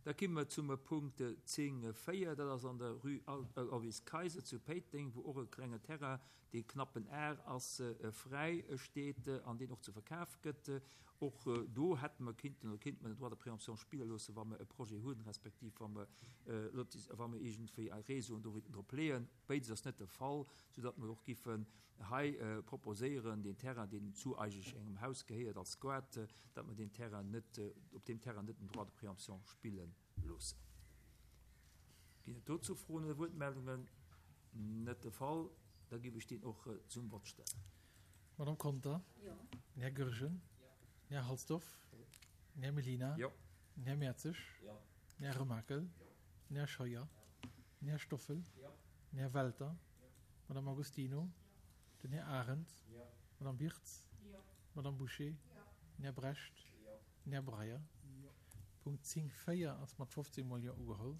Da komme mer zum Punkt 10, 4, dat ass an der Rue Aloyse Kayser zu Péiteng, wou och e klenge Terrain, dee knapp en Ar ass, fräi steet an deen och zu Verkaf gëtt. Och do hätte mer kinnten oder kéinte mer den Droit de préemption spille loossen, wa mer e Projet hunn, respektiv wa mer wa mer iergendwéi Réseauen do wéilten drop leeën. Béides ass net de Fall, soudatt mer och giffen hei proposéieren, deen Terrain, deen zu eigentlech engem Haus gehéiert als Squat, datt mer deen Terrain net, op deem Terrain net den Droit de préemption spille loossen. Ginn et dozou Froen oder Wuertmeldungen? Net de Fall. Da giff ech deen och zum Vott stellen. Madame Conter? Jo. Den Här Goergen? Jo. Den Här Halsdorf? Jo. Den Här Mellina? Jo. Den Här Mertzig? Jo. Den Här Remakel? Jo. Den Här Scheuer? Jo. Den Här Stoffel? Jo. Den Här Welter? Jo. D'Madame Agostino? Den Här Arendt? Jo. D'Madame Birtz? Jo. D'Madame Bouché? Jo. Den Här Brecht? Jo. Den Här Breyer? Jo. Punkt 10, 4 ass mat 15 mol Jo ugeholl.